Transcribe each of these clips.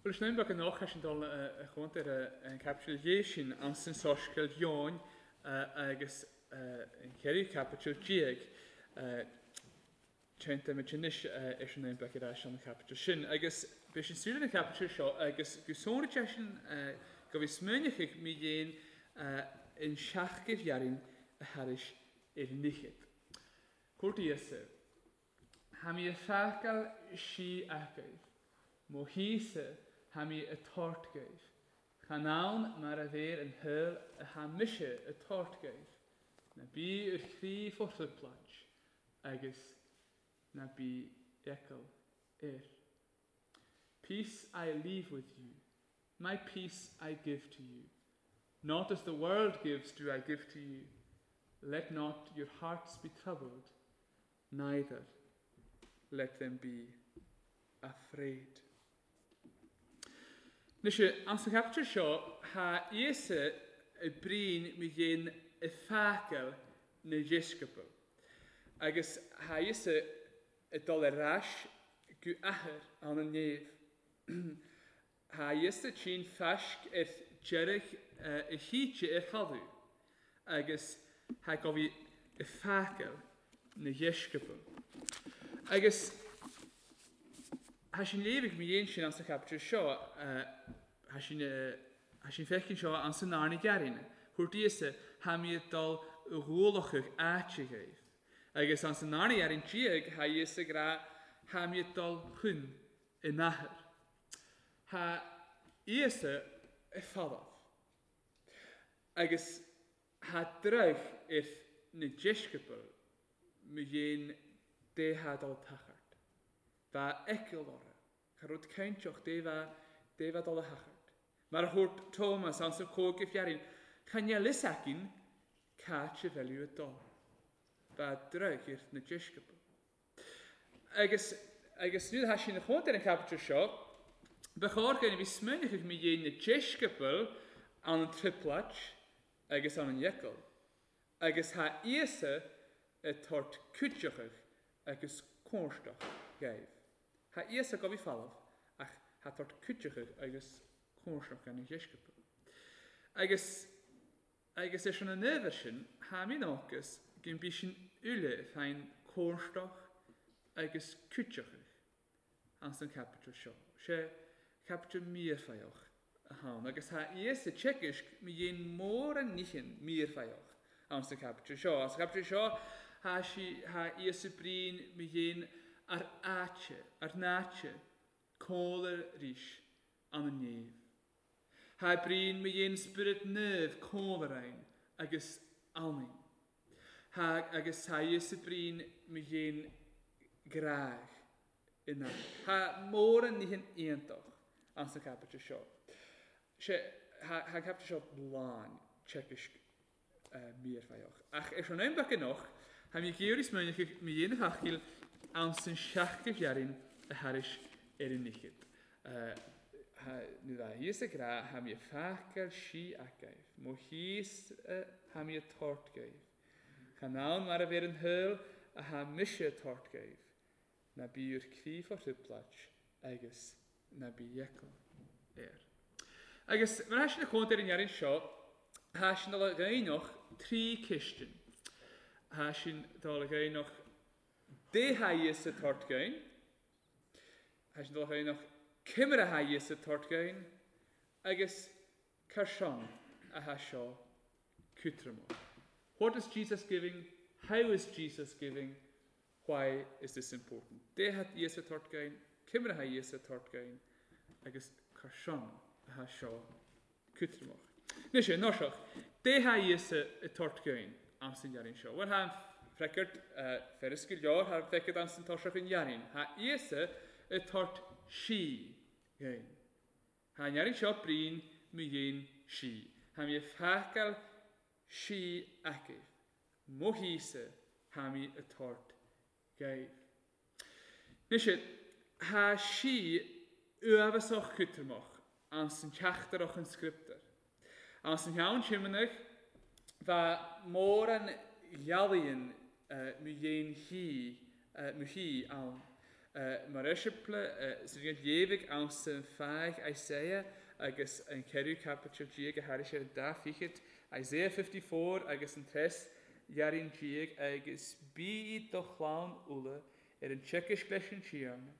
Bhuel, is naom beag anocht leis an dul a chontae ar an chaipiteal dhéag sin ansan Soiscéal Eoin agus an cheithriú caipiteal déag. Téantaimid anois ar an naom beag ar ais an chaipiteal sin. Agus beidh sin súil ar an chaipiteal seo agus go sonraí sé sin go bhí smaoineochaidh mí dhéin in seachgaibh dhearainn a thairis ar an fhichead. Cúirt Íosa. Tha mi a feiceáil sí agaibh, mo thí-sa tha mi a tabhairt dhaoibh, chan ann mar a bheir an shaol a tha mise a tabhairt dhaoibh, ná bí ur chroí fó thrioblóid agus ná bí eagal air. Peace I leave with you, my peace I give to you. Not as the world gives do I give to you. Let not your hearts be troubled, neither let them be afraid. Anois, ansa chaipiteal seo, tha Íosa i bprín mi dhein i fácail na dheisceabal, agus tha Íosa ag dul ar ais go Athair ann an Néamh. Tha Íosa tinn faisc ar deireadh a thíte ar thalamh, agus tha gabhaidh i fácail na dheisceabal. Agus tha sin léamh ag mo dhéin sin ansa chaipiteal seo, tha sin tha sin feicinn seo ansa n-arna ghearrainn, thabhairt Íosa, tha mi ag dul ghualachadh áite dhaoibh. Agus ansa n-arna ghearrainn diaidh, tha Íosa ag rá, tha mi ag dul chun in Athair. Tha Íosa i falamh. Agus tha dreach ar na deisceabail mo dhéin dé tha dul tachairt. Bha fheiceáil orra, cha rud cainteach dé bha dé bha dul a thachairt. Mar a thabhairt Tómas ansa cóig a fearainn, cha ndeil fhios againn cáit a bheiliú a dul. Bha dreach ar na deisceabail. Agus agus nuair atá sí ina chontae ar an chaipiteal seo, ba chóir go bhí smaoineachadh mí dhéin na deisceabail ann an trioblóid agus ann an fhiacail, agus thá Íosa ag tabhairt cuideachadh agus cónraisteach dhoibh. Thá Íosa gabhaidh falamh, ach thá tabhairt cuideachadh agus cónraisteach gan na dheisceabail. Agus. Agus ar son an ábhair sin, tha mi nócas gun bí sin uile féin cónraisteach agus cuideachadh anns an chaipiteal seo. Sé chaipiteal míorfaitheach a thann, agus tha Íosa teagaisc mi dhéin mórán nithin míorfaitheach anns an chaipiteal seo. Anns an chaipiteal seo tha sí, tha Íosa brín mi dhéin ar áite, ar n-áite, cómhla rís ann an néamh. Tha brín mo dhéin Spiorad Naomh cómhla agus anainn. Tha agus tha Íosa brín mo dhéin gráidh ina. Tha mórán nithin iontach anns an chaipiteal seo. Sé, tha an chaipiteal seo lán teagaisc míorfaitheach. Ach ar son am beag anocht, tha mi ag iarraidh smaoineachadh mo dhéin a thacaíl anns an seachadh ghearrainn a thairis ar an fhichead. Nuair a thíos ag rá, tha mi a feiceáil sí agaibh, mo thíos tha mi a tabhairt dhaoibh. Chan ann mar a bheir an shaol a tha mise a tabhairt dhaoibh, ná bí ur croí fá thrioblóid agus ná bí eagal air. Agus mar atá sin a chontae ar an fhearann seo, thá sin dul a ghaibhneach trí cistin. Thá sin dul a ghaibhneach dé thá Íosa tabhairt gaibhn. Thá sin dul a ghaibhneach cimire thá Íosa tabhairt gaibhn. Agus car shon a thá seo cútramach. What is Jesus giving? How is Jesus giving? Why is this important? Dé thá Íosa tabhairt gaibhn, cimire thá Íosa tabhairt gaibhn, agus car shon a thá seo cútramach. Anois, nóiseach, dé thá Íosa ag tabhairt gaibhn anns an ghearrainn seo. Bhuel, thá an freagairt feras go leor, thá an freagairt anns an toiseach an ghearrainn. Thá Íosa ag tabhairt sí gaibhn. Thá an ghearrainn seo brín mo dhéin sí. Thá mé ag feiceáil sí agaibh. Mo thíosa tha mi a tabhairt dhaoibh. Anois, tha sí uaibheasach cútramach anns an teachtaireacht an scrioptúr. Anns an cheann Simeonach bha mórán ghealaíonn mo dhéin thí, mo thí ann. Mar esiampla, sa léamhaidh ann san fáidh Isaiah agus an ceathrú caipiteal déag a thairis ar an dá fichead, Isaiah 54 agus an treas dhearaín déag, agus bí iad do chlann Uladh ar an tsecaisc leis an Tiarna,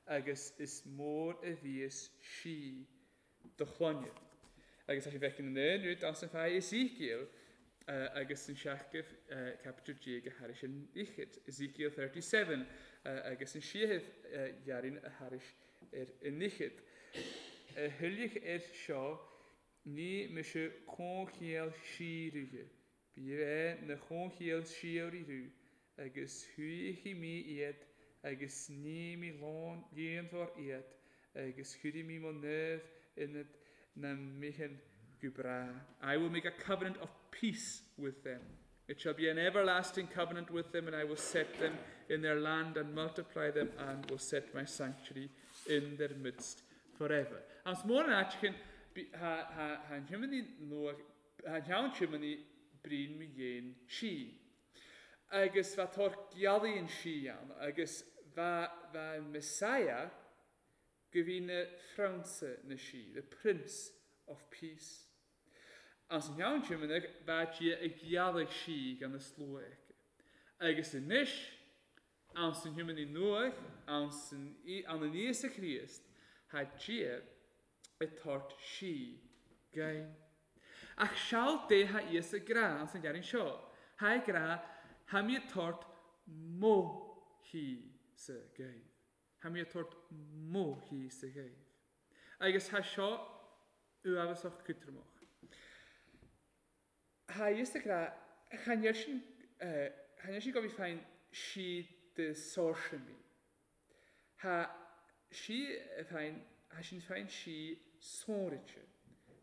agus is mór a bhíos sí do chlainne. Agus tá sé bheith in aon rud as an fáidh Ezekiel agus an seachmh caipiteal déag a thairis an fhichead, Ezekiel 37, agus an séamh dhearaín a thairis ar an fhichead. A thuilleadh air seo, ní mise comhchéill síoraithe, Bí é na comhchéill síoraí agus shuífidh mé iad agus ní mé líonmhar iad agus chuirfidh mé mo naomh-ionad na mbithin go bráth. I will make a covenant of peace with them. It shall be an everlasting covenant with them, and I will set them in their land and multiply them and will set my sanctuary in their midst forever. As mór an áit ha an hiomaní nua ha an cheann tiománaí brín mo dhéin sí. Agus bha tor gealaíonn sí ann, agus bha an Messiah go bhí na Prionsa na Sí, the Prince of Peace. As an cheann tiománaigh bha Dia ag gealaigh sí gan na slua aici. Agus anois, ann san thiománaí nuaidh, ann san ann an Íosa Críost, tha Dia ag tabhairt sí gain. Ach seal Dé tha Íosa grá ann san ghearraín seo. Tha grá, tha mé ag tabhairt mo shí sa ghaibh. Tha mé ag tabhairt mo shí sa ghaibh. Agus tha seo uathbhasach cútramach. Tha Íosa grá, chan fhear sin, chan fhear sin go bhí féin sí de saoirse mí. Tha sí féin, tha sin féin sí sónraite.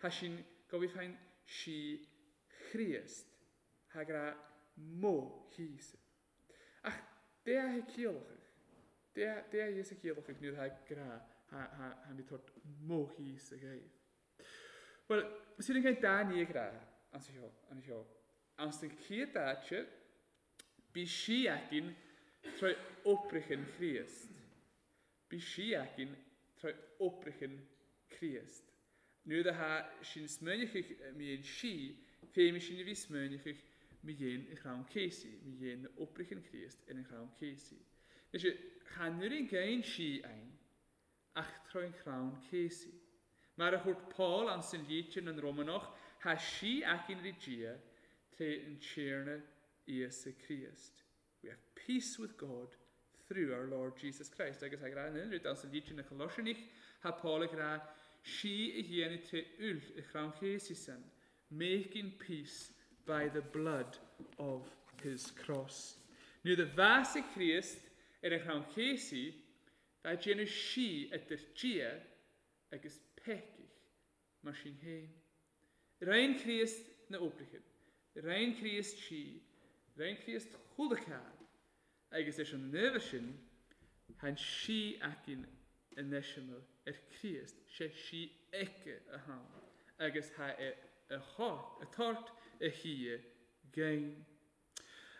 Tha sin go bhí féin sí Chríost. Tha grá mo shíosa. Ach dé a tha ciallachadh. Dé dé a Íosa ciallachadh nuair tha grá tha tha tha mí tabhairt mo shíosa ghaibh. Bhuel, sin an chéad dá ní ag rá anso anseo. Ansan chéad áite, bí sí againn tré oibreachan Chríost. Bí sí againn tré oibreachan Chríost. Nuair a tha sin smaoineachadh mí an sí, féimidh sin a bhí smaoineachadh mí dhéin an chrann céasaí, mí dhéin na oibreachan Chríost ar an chrann céasaí. Anois, cha nuair an gcain sí againn ach tré an chrann céasaí. Mar a thuirt Paul ansan líte na Rómánach, tha sí againn rí Dia tré an Tiarna Íosa Críost. We have peace with God through our Lord Jesus Christ. Agus ag rá an rud ansan líte na Coloiseanach, tha Paul ag rá sí a dhéanamh tré úll i chrann céasaí san, making peace by the blood of his cross. Nuair a bhásaigh Críost ar an chrann céasaí, bha déanamh sí idir Dia agus peicich mar sin féin. Rein Críost na oibreachan, rein Críost sí, rein Críost chuile agus leis an naomh sin, than sí againn an eiseamal ar Críost, sé sí aici a ham, agus tha é a a tort a shia gain.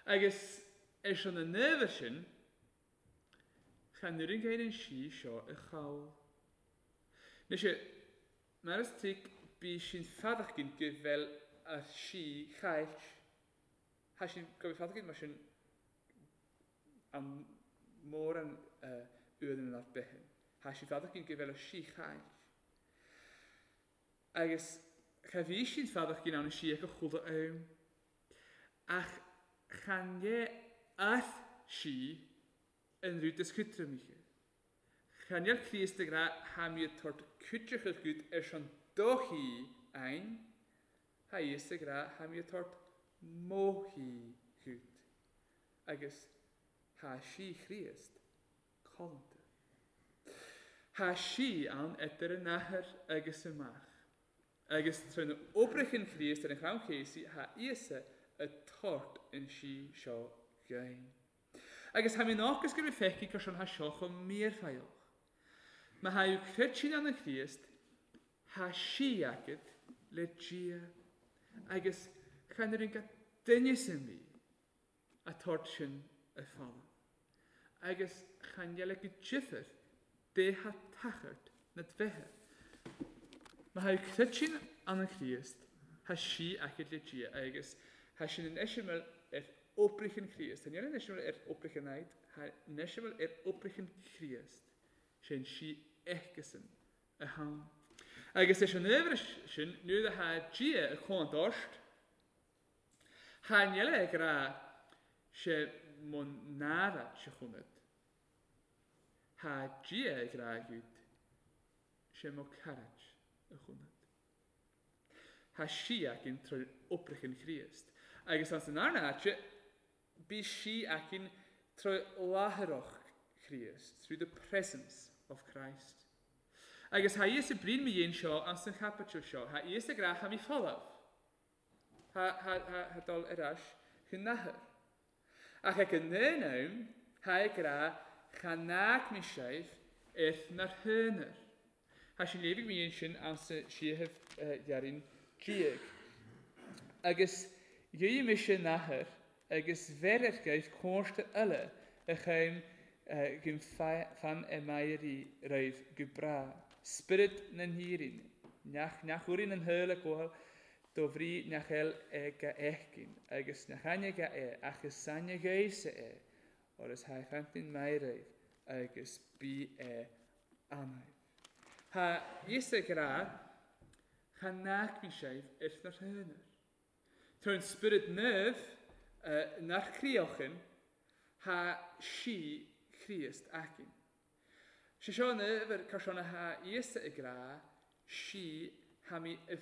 Agus ar son na naomh sin, chan nuair an gain an sí seo a chall. Anois, mar is tuig bí sin fadachgin go bhfuil a sí chailt. Tha sin go bhfuil fadachgin mar sin an mór an uain an beithin. Tha sin fadachgin go bhfuil a sí chailt. Agus cha bhí sin fadachgin ann sí ag a chula ann. Ach chan é ath sí an rud is chutramiche. Chan eil Críost ag rá tha mé ag tabhairt cuiteacha gut ar son do shí againn, tha Íosa ag rá tha mé ag tabhairt mo shí gut. Agus tha sí Chríost callanta. Tha sí ann idir an athair agus an mach. Agus tré na oibreachan Chríost ar an chrann céasaí tha Íosa ag tabhairt an sí seo gain. Agus tha mé ocus go raibh feicthe gur sin tha seo chomh míorfheidhleach. Má tha creidsin ann an Chríost, tha sí agad le Dia. Agus chan ar an duine sin mí a tabhairt sin a falla. Agus chan eil go difear dé tha tachairt na dfeithe. Má tha creidsinn ann an Chríost, tha sí aicid le Dia, agus tha sin an eiseamal ar oibrich an Chríost. Tha níl an eiseamal ar oibrich an Aid, tha an eiseamal ar oibrich an Chríost. Sé an sí aicesan a thann. Agus leis an ábhar sin, nuair a tha Dia ag comhánt ort, chan eil ag rá sé mo nára se chonad. Tha Dia ag rá agat sé mo caraid a chonad. Tha sí aicinn tar oibrich an Chríost. Agus ansan arna áite, bí sí aicinn tar láithreach Chríost, through the presence of Christ. Agus tha Íosa brín mo dhéin seo ansan chaipiteal seo, tha Íosa ag rá tha mí folamh. Tha dul ar ais chun nathair. Ach ag an aon am, tha ag rá chan fhág mé sibh ar nár tháinar. Tha sin léibhidh mé ansin ansa síothaibh dhearainn diaidh. Agus gheobhaidh mise nathair agus bheir ar ghaibh cóiste eile a chaim gum fan i m'éirí roimh go bráth. Spiorad na n-Éirinn, neach úirín an shaol ag gabháil do bhrí nach eil é ga fheicinn, agus nach aine ga é, ach is aine ghaosa é, óir is tha fantain maith agus bí é anaibh. Tha Íosa ag rá, Cha n-aicmí sibh ar na rtháinar. Tá an Spiorad Naomh nach críochan, tha sí Chríost aicinn. Sé seo an uimhir car seo na tha Íosa ag rá, sí tha mí i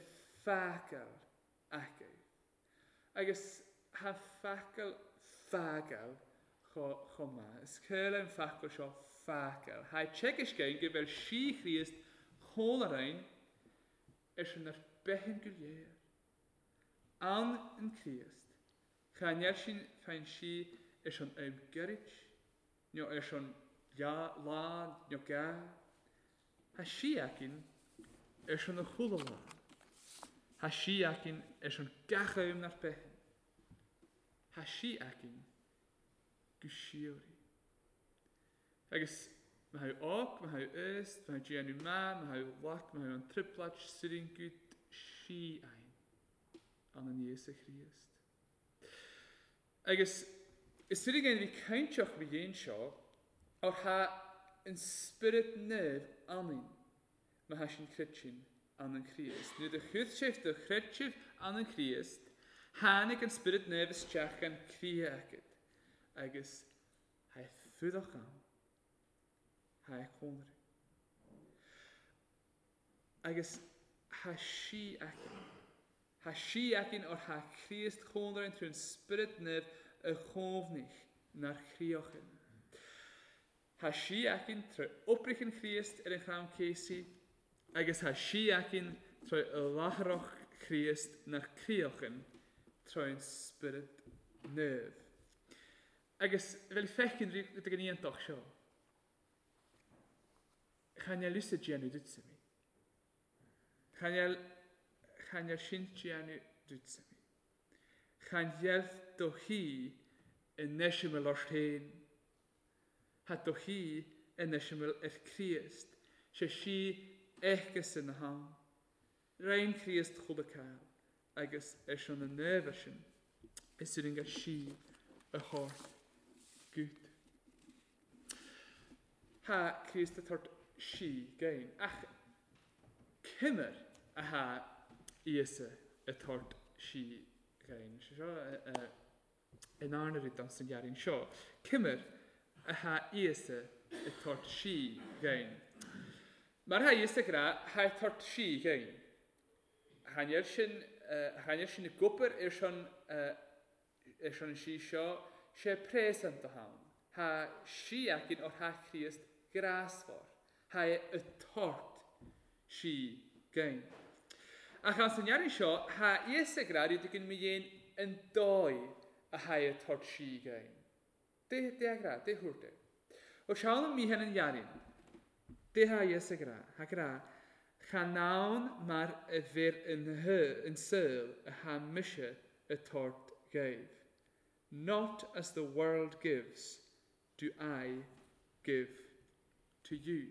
fágáil aici. Agus tha focal fágáil chomh maith. Is céile an focal seo fágáil. Tha teagasc againn go bhfuil sí Chríost chónarainn ar sin ar beithin go léir. Ann an Críost, cha ndeir sin féin sí ar son am gairid, nó ar son lá nó gá. Tha sí aicinn ar son a chuile lá. Tha sí aicinn ar son gach am nár beithin. Tha sí aicinn go síoraí. Agus má tha óc, má tha aost, má tha déanamh maith, má tha lac, má tha an trioblóid, sirriam sí ainn an an Íosa Chríost. Agus is féidir againn bhí cainteach bhí dhéin seo, óir tha an Spiorad Naomh ionainn má tha sin chreidsin ann an Chríost. Nuair do chuir sibh do chreid sibh ann an Chríost, tháinig an Spiorad Naomh isteach gan croidhe agat, agus tha é fuadach ann, tha é cónraidh. Agus tha sí aicinn. Tha sí aicinn óir tha Críost chónrainn trú an Spiorad Naomh a chómhnaich nár chríochan. Tha sí aicinn tré oibrich an Chríost ar an chrann céasaidh, agus tha sí aicinn tré láithreach Chríost nár críochan tré an Spiorad Naomh. Agus bheil feicinn rud ag an iontach seo. Chan eil fhios a déanamh duitse mé. Chan eil, chan eil sin déanamh duitse mé. Chan dheilf do shuí i n-eiseamal ort féin. Tha do shuí in eiseamal ar Chríost, sé sí aiceasa na hann. Roinn Críost chuile cáil, agus ar son na n-ábhar sin is ringe sí a thabhairt gut. Tha Críost a tabhairt sí gain, ach cimir a tha Íosa a tabhairt sí gain. Sé seo in arna rud don san ghearraín seo. Cimir a tha Íosa a tabhairt sí gain. Mar tha Íosa ag rá, tha a tabhairt sí gain. Chan eil sin, chan eil sin i gcopair ar son, ar son an sí seo, sé present a thann. Tha sí aicinn óir tha Críost grásmhar. Tha é a tort sí gain. Ach ansan ngearraín seo, tha Íosa ag rá rud éigin mo dhéin an dóigh a tha é a tort sí gain. Dé, dé ag rá, dé thabhairt é. Ó seán an mícheann an ghearraín. Dé tha Íosa ag rá, tha ag rá, chan ann mar a bhir an saol a tha mise a tort ghaibh. Not as the world gives. do I give to you?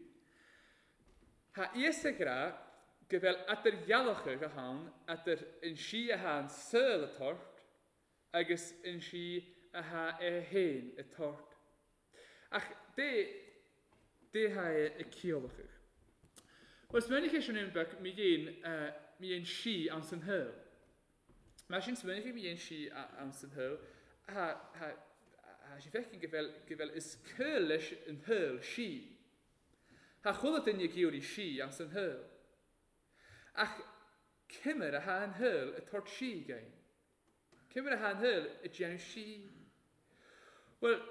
Tha fhios ag rá go bhfuil eadar-dhealachadh a ann eadar an sí athá an saol a tabhairt agus an sí athá é féin a tabhairt. Ach dé, dé thá é ag ciallachadh. Bhuel, is minic é sin aon beag mi dhéin, mi dhéin sí anns an shaol. Mar sin, is minic a bhíonn sí ann san shaol, tá sí feicim go bhfuil, go bhfuil is cúl leis an shaol sí. Tá chuile duine ag iarraidh sí ann san shaol. Ach cimir athá an shaol ag tabhairt sí againn? Cimir athá an shaol ag déanamh sí? Bhuel,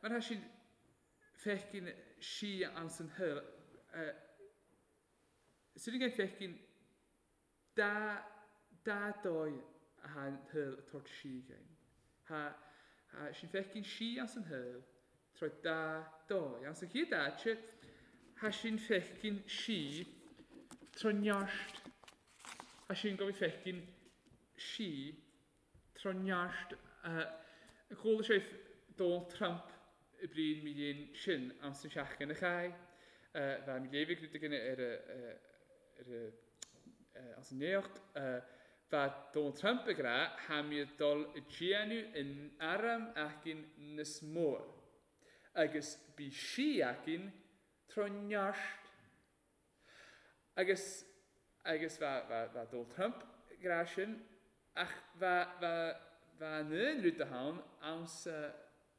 mar tá sí feicim sí ann san shaol, sin againn feicim Dá, dá dóigh athá an shaol ag tabhairt sí againn. Thá, thá sinn feicinn sí anns an shaol tráth dá dóigh. Anns an chéad áite, thá sinn feicinn sí tráth neart. Thá sinn go bhfeicinn sí tráth neart. Chuala sé Donald Trump i bpríon mi dhéin sin anns an seachtain a chaith. Bheadh mi léimhigh rud éigin ar a, ar a, anns an nuacht. Bheadh Donald Trump ag rá tha mi ag dul ag déanamh an arm aicinn nios mór. Agus bí sí aicinn tráth neart. Agus, agus bheadh, bheadh, bheadh Donald Trump ag rá sin, ach bheadh, bheadh, bheadh an aon rud ann anns,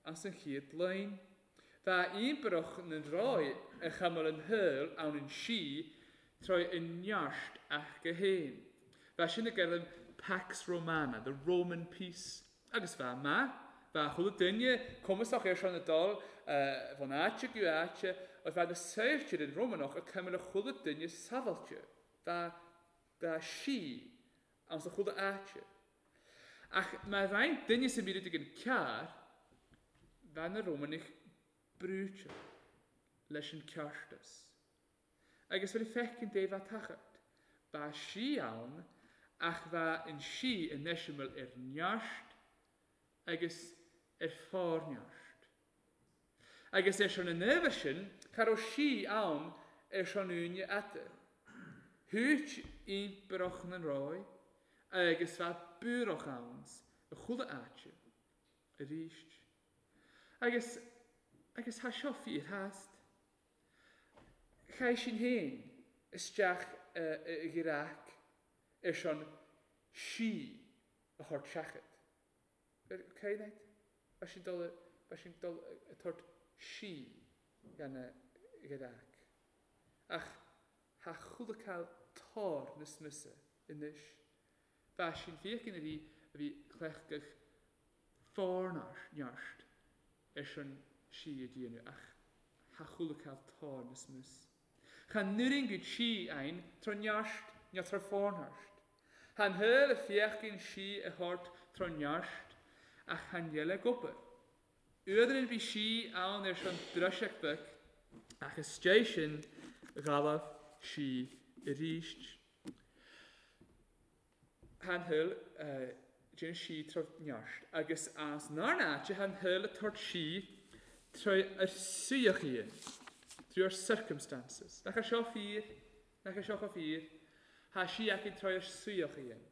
anns an chéad line. Bheadh íomparach na ndraoi a chuimil an shaol ann an sí tráth a neart aca féin. Bheadh sin ag gairm Pax Romana, the Roman peace. Agus bheadh maith, bheadh chuile duine cumasach ar son ag dul bhun áite go áite agus bheadh na saoirte den Rómánach ag cuimil chuile duine sábháilte. Bheadh, bheadh sí ann sa chuile áite. Ach má bheinn duine sa míle ag an cearr, bheadh na Rómánaigh brúite leis an ceartas. Agus bhfuil feiceann Dé bheith tachairt. Ba sí ann ach bheadh an sí in eiseamal ar neart agus ar phárneart. Agus ar son an ábhair sin cha raibh sí ann ar son aoinne ata. Thuit impireacht na nDraoi agus bheadh buarach ann i chuile áite arís. Agus, agus thá seo fíor-theast. Chaith sinn féin isteach i gcreach ar son sí a thabhairt seachad. Cén áit? Beidh sinn dul, beidh sinn dul ag tabhairt sí gan gcreach. Ach tha chuile cal tor na smisa anois. Bheadh sinn féachaint a bhí a bhí cleachtadh forneart ar son sí a déanamh ach tha chuile cal tor na smus. Cha n-oireann gud sí ainn tro neart ná tro forneart. Tha an shaol a féachaint sí a thabhairt tro neart ach chan eile ag obair. Uaireann bhí sí ann ar son driseach bheag ach istigh sin ghabhadh sí arís. Tha an shaol déanamh sí tro neart agus as nár n-áite tha an shaol ag tabhairt sí tré ar suíochaíonn, through our circumstances. Nach é seo fíor? Nach é seo chomh fíor? Tha sí aici tré ar suíochaíonn.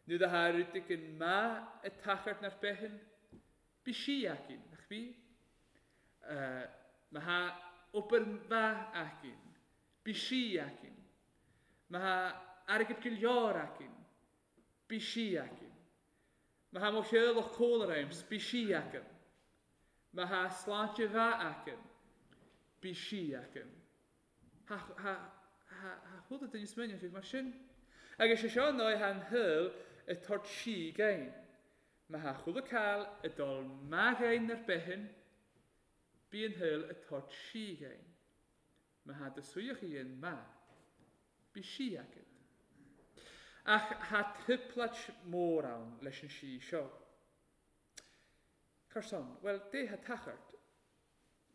Nuair do tha rud éigin maith ag tachairt nár beithin, bí sí aicinn, nach bí? Má tha obair mhaith aicinn, bí sí aicinn. Má tha airgead go leor aicinn, bí sí aicinn. Má tha mo theaghlach cónair aims, bí sí aicinn. Má tha sláinte mhaith aicinn, bí sí aicinn. Tha, tha, tha, tha chuile duine smaoineamh mar sin. Agus sé seo an dóigh tha an shaol ag tabhairt sí againn. Má tha chuile cal ag dul maith againn ar beithin, bí an shaol ag tabhairt sí againn. Má tha do suíochaíonn maith, bí sí agad. Ach tha trioblóid mór ann leis an sí seo. Cur san, bhuel, dé tha tachairt,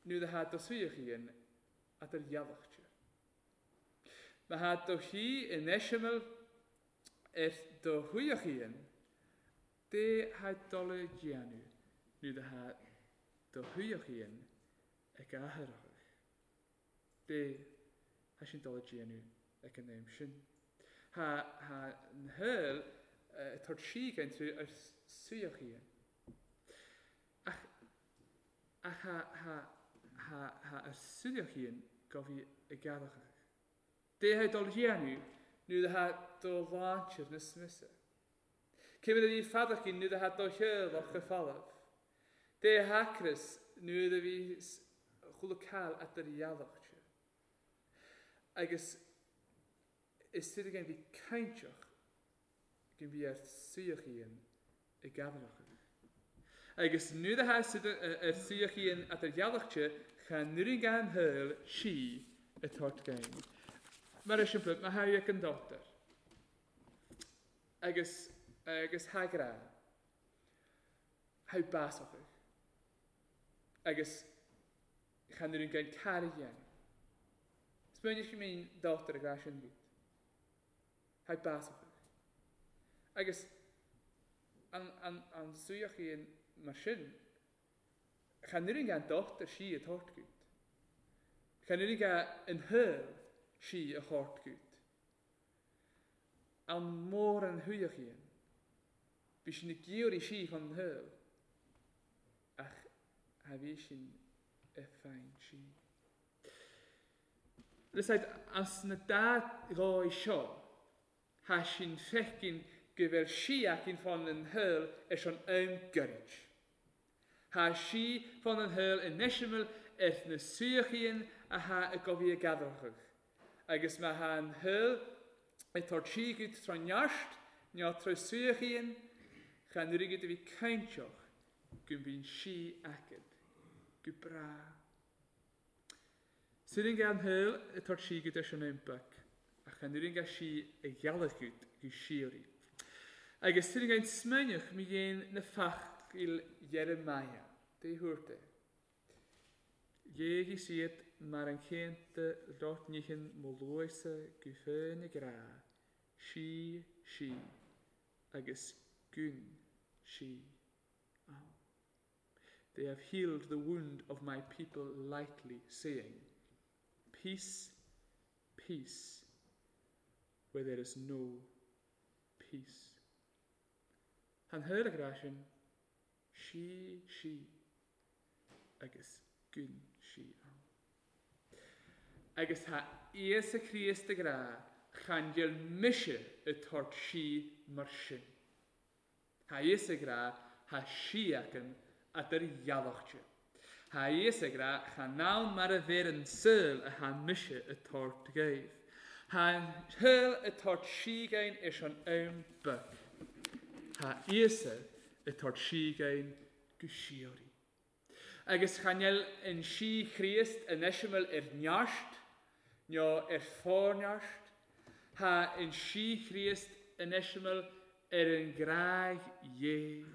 nuair a tha do suíochaíonn a do ghealachte. Má thá do shuí in eiseamal ar do shuíochaíonn, dé thá dul a dhéanamh nuair athá do shuíochaíonn i gcathaoireachadh. Dé, thá sin dul a déanamh ag an am sin. Thá, thá an shaol ag tabhairt síocháin trú ar suíochaíonn. Ach, ach thá, thá, thá, thá ar suíochaíonn go bhí i gcathaoireachadh. Dé thá dul a dhéanamh nuair athá do láintir na smisa. Cé mar a bhí feadachín nuair atá do theaghlach go folamh. Dé hacras nuair a bhí chuile cail at ar ghealach te. Agus is suid again bhí cainteach gin bhí ar suíochaíonn i gcabhrachadh. Agus nuair atá suid ar suíochaíonn at ar ghealach te cha nuair gan shaol sí a tort gain. Mar is simple, má thairg an dochtúir. Agus, agus tha grá. Tha básachadh. Agus chan oireann gan cara a dhéanamh. Smaoinigh go mbíonn dochtúir ag rá sin duit. Tha básachadh. Agus an, an, an suíochaíonn mar sin, chan oireann gan dochtúir sí a thabhairt duit. Chan oireann gan an shaol sí a thabhairt duit. An mór an shuíochaíonn. Bhí sin ag iarraidh sí chun an shaoil, ach tha bhí sin i féin sí. Listen, as na dá dhóigh seo, tha sin feicinn go bhfuil sí aicinn fán an shaol ar son am gairid. Tha sí fán an shaol i neiseamail ar na suíochaíonn a tha i gcomhaí a gcadrachadh. Agus má tha an shaol ag tabhairt sí go tráth neart ná tráth suíochaíonn, chan airgead a bhí cainteach go mbíonn sí aicid go breá. Suireann an shaol ag tabhairt sí go deis an iompac, ach chan oireann sí a ghealach gut go síoraí. Agus suireann an smaoineach mi dhéin na facail Jeremiah, dé thuairt é. Ghéagaigh siad mar an chéanta lot nighean mo luaithse go féin ag rá, Sí, sí, agus gun sí ann. They have healed the wound of my people lightly, saying, Peace, peace, where there is no peace. Than shaol ag rá sin, Sí, sí, agus gun sí ann. Agus tá Íosa Críost ag rá, chan fhuil mise ag tabhairt sí mar sin. Tá Íosa ag rá, thá sí acan eadar ghealach-te. Tá Íosa ag rá, chan ann mar a bheir an saol athá mise ag tabhairt dhaoibh. Thá an saol ag tabhairt síogáin ar son am beag. Thá Íosa ag tabhairt síogáin go síoraí. Agus chan fheil an sí Chríost in eiseamal ar neart, nó ar forneart, thá an sí Chríost in eiseamal ar an gcrág Dhé.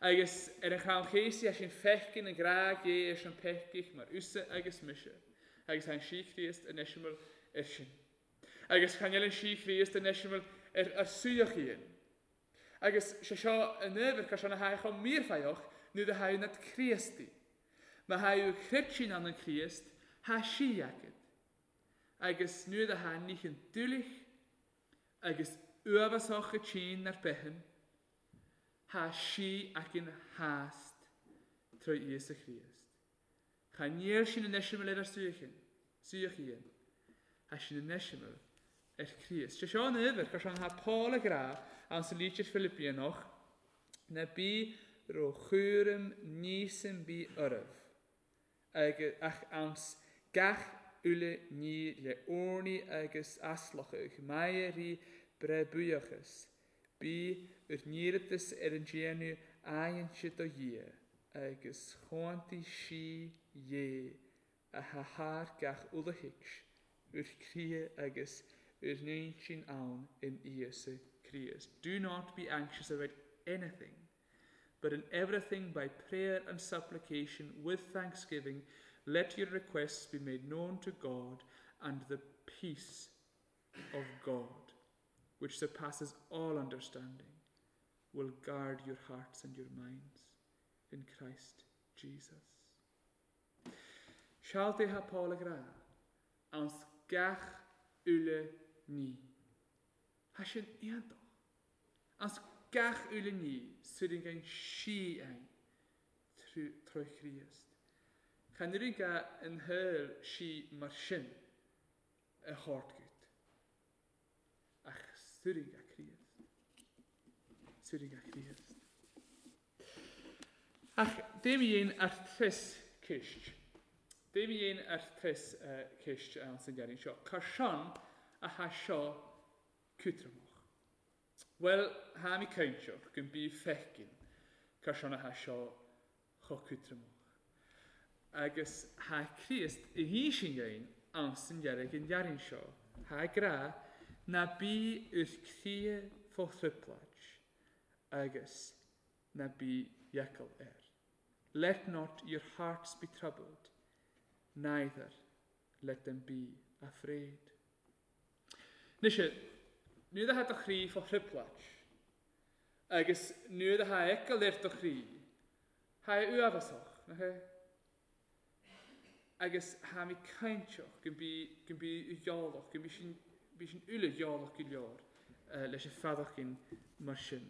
Agus ar an chrann chéasaí thá sin feiceann an gcrág Dhé ar son peicich mar usa agus mise, agus thá an sí Chríost in eiseamal ar sin. Agus chan fheil an sí Chríost in eiseamal ar suíochaíonn. Agus sé seo an uimhir ca seo na haghaidh chomh míorfaitheach nuair a thaghadh nad Críostaí. Má thaghadh Cruitín ann an Críost, thá sí aicid. Agus nuair a tha nícheann dúilich agus uathbhasach a tínn nar beithin, thá sí aicinn theast trá Íosa Chríost. Cha níl sin an eiseamal ar ár suíochán, suíochaíonn, thá sin an eiseamal ar Chríost. Sé seo an uimhir, cur seo thá Paul ag rá ann sa lítir Philipíonach, ná bí ró chúram níos bí oraibh, ach anns gach uile ní le urnaí agus aslachadh, maith rí breith buíochas, bí ur n-iarratas ar an déanamh aighinse do Dhia, agus chomhaontaigh sí Dhé a tha thar gach uile thuics, ur chroíthe agus ur n-intinn ann in Íosa Críost. Do not be anxious about anything, but in everything by prayer and supplication with thanksgiving, let your requests be made known to God, and the peace of God, which surpasses all understanding, will guard your hearts and your minds in Christ Jesus. Jesus. Seal dé tha Paul ag rá, Ans gach uile ní. Tha sin iontach. Ans gach uile ní suiringeann sí againn troi Chríost. Chan oireann an shaol sí mar sin a thabhairt ach suiringeann Críost. Suiringeann Críost. Ach dé mi dhéin ar tres ceist. Dé mi dhéin ar tres ceist ann san deireadh seo. Cár sin a tha seo cútramach? Well, tha mi cainteach go bí fecin cár sin a tha seo cho cútramach. Agus tha Críost i hísin dhéin ann san deireadh an deireadh seo. Tha grá na bí ur cria fó thripláid agus na bí eagal air. Let not your hearts be troubled, neither let them be afraid. Nise, nuair a tha do chroí fá thrioblóid, agus nuair a tha eagal ar do chroí, tha é uafásach, nach é? Agus tha mi cainteach go bí, go bí ghealach, go bí sin, bí sin uile ghealach go leor leis an feadachín mar sin.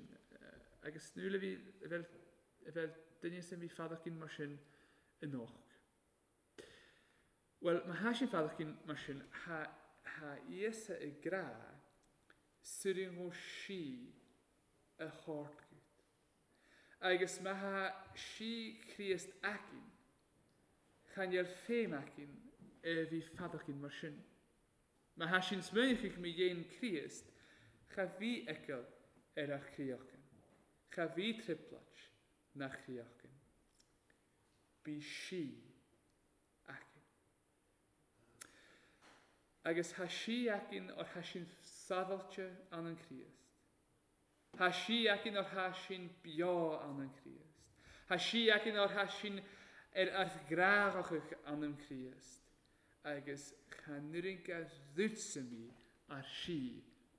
Agus nuair a bhí, a bheith, a bheith duine sin bhí feadachín mar sin anocht. Well, má tha sin feadachín mar sin, tha, tha Íosa ag grá suirín ó sí a thabhairt. Agus má tha sí Críost aicinn, chan eil féim aicinn a bhí feadachín mar sin. Má tha sin smaoinigh mi dhéin Críost, cha bhí eagal ar ar chríochan. Cha bhí trioblóid nach chríochan. Bí sí aicinn. Agus tha sí aicinn or tha sin sábháilte an an Críost. Tha sí aicinn or tha sin beo an an Críost. Tha sí aicinn or tha sin ar ar ghrágachach an an Críost. Agus chan oireann a dhúitse mi ar sí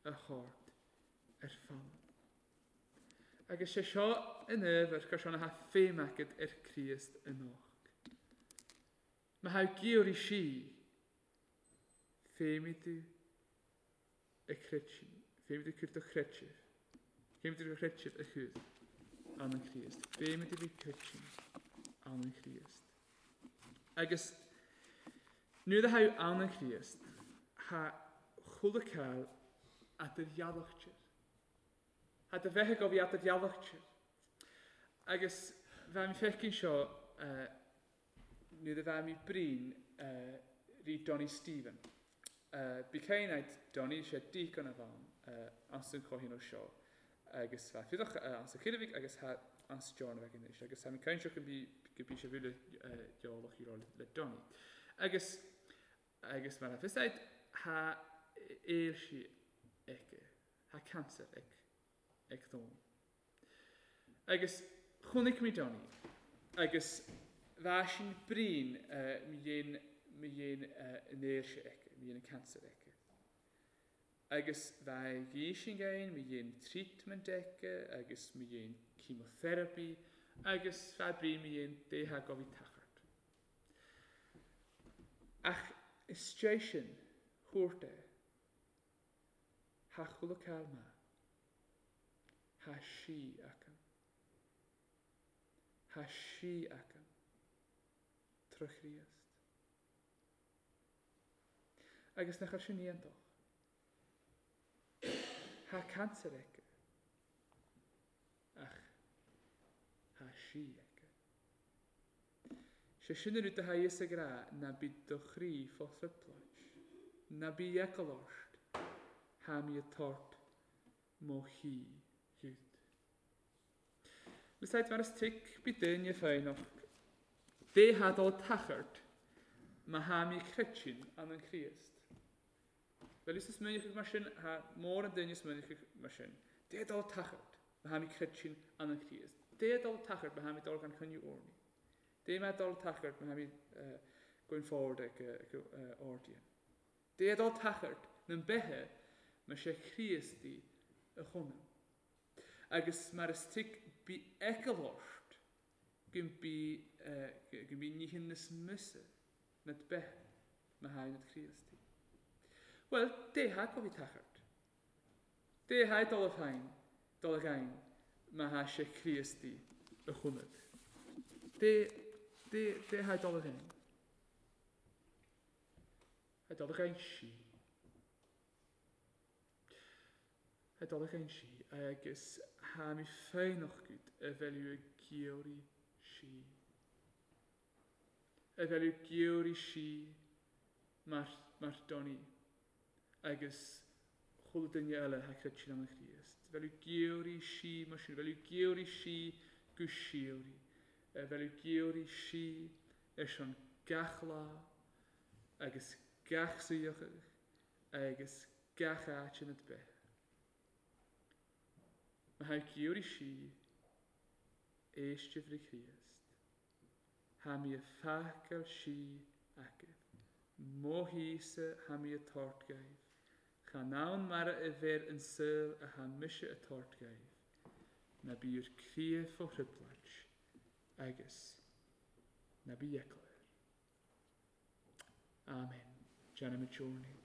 a thabhairt ar fad. Agus sé seo in ábhar gur seo na féim agat ar Chríost anocht. Má tha géoirí sí, féimidh tú a chreidsin, féimidh tú cur do chreidsimh, féimidh tú do chreidsimh a chur an an Chríost, féimidh tú bhí creidsin an an Chríost. Agus nuair a tha an an Chríost, tha chuile ceal at do ghealachtir. Tha do bheith go bhí at do ghealachtir. Agus bheith mi feicin seo nuair a bheith mi brín rí Donny Stephen. Bí céin Donny sé deacon a bhean as an chohín ó seo agus bheith fidach as an chiribh agus tha as John a bheith anois agus tá mi cainteach go bí go bí sé bhúle geolach i le Donny. Agus mar a fios tha éil sí aici, tha cancer ag dón. Agus chonaic mi Donny agus bheith sin brín mi dhéin an éil sé aici, mi dhéin an cancer aici. Agus bheith gí sin gain, mi dhéin treatment aici, agus mi dhéin chemotherapy, agus bheith brín mi dhéin détha go bhí tachart. Ach is sin chuairt é, tha chuile ceal ma, tha sí acu. Tha sí acu. Troi Chríost. Agus nach ar sin iontach. Tha cancer aici. Ach tha sí aici. Sé sin an rud a tha Íosa ag rá ná bí do chroí fá thrioblóid. Ná bí eagal ort. Tha mi ag tabhairt mo chí dhuit. Besides, mar is tic bí duine féinach. Dé tha dul tachart má tha mi creidsin an an Chríost. Well is smaoinigh mar sin, tha mór an duine smaoinigh mar sin. Dé dul tachart má tha mi creidsin an an Chríost. Dé dul tachart má tha mi dul gan choinne orni. Dé má dul tachart má tha mi going forward ag ordian. Dé dul tachart na bethe má sé Chríostaí a chonam. Agus mar is tic bí eagal ort Go mbí go mbí nithe níos measa ná do beatha má tha ionat Críostaí. Bhuel, dé há go bhí tachairt. Dé há dul a féin, dul a ghain má thá sé Críostaí a choimeád. Dé, dé, dé há dul a ghain. Há dul a ghain sí. Há dul a ghain sí agus thá mé foighneach agat a bheith ag giorraí sí. A bheith ag giorraí sí mar, mar Donny agus chuile duine eile thá creidte ann a Chríost. Bheith ag giorraí sí mar sin, bheith ag giorraí sí go síoraí. A bheith ag giorraí sí ar son gach lá agus gach suíochadh agus gach áit ina beith. Má thá giorraí sí, éistibh le Críost. Thá mé a fágáil sí agaibh. Mo thíosa thá mé a tabhairt dhaoibh. Chan ann mara a bheir an saol a thá mise a tabhairt dhaoibh. Ná bí bhur gcroíthe fó thrioblóid agus ná bí eagla air. Amen. Déanaimid urnaí.